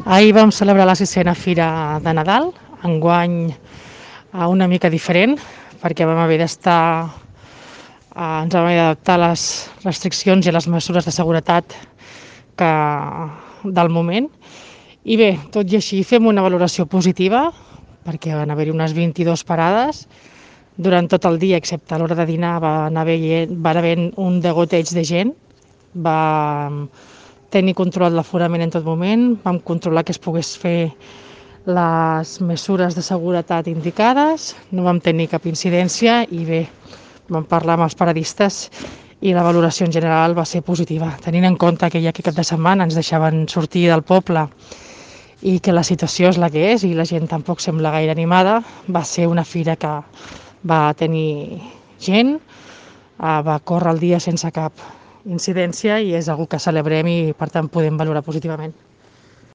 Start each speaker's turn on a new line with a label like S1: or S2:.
S1: Ahir vam celebrar la 6a Fira de Nadal, enguany una mica diferent, perquè vam haver d'estar, ens vam haver d'adaptar a les restriccions i a les mesures de seguretat del moment. I bé, tot i així fem una valoració positiva, perquè van haver-hi unes 22 parades. Durant tot el dia, excepte a l'hora de dinar, va haver un degoteig de gent. Vam tenir controlat l'aforament en tot moment, vam controlar que es pogués fer les mesures de seguretat indicades, no vam tenir cap incidència i bé, vam parlar amb els paradistes i la valoració en general va ser positiva. Tenint en compte que ja aquest cap de setmana ens deixaven sortir del poble i que la situació és la que és i la gent tampoc sembla gaire animada, va ser una fira que va tenir gent, va córrer el dia sense cap incidència i és algo que celebrem i per tant podem valorar positivament.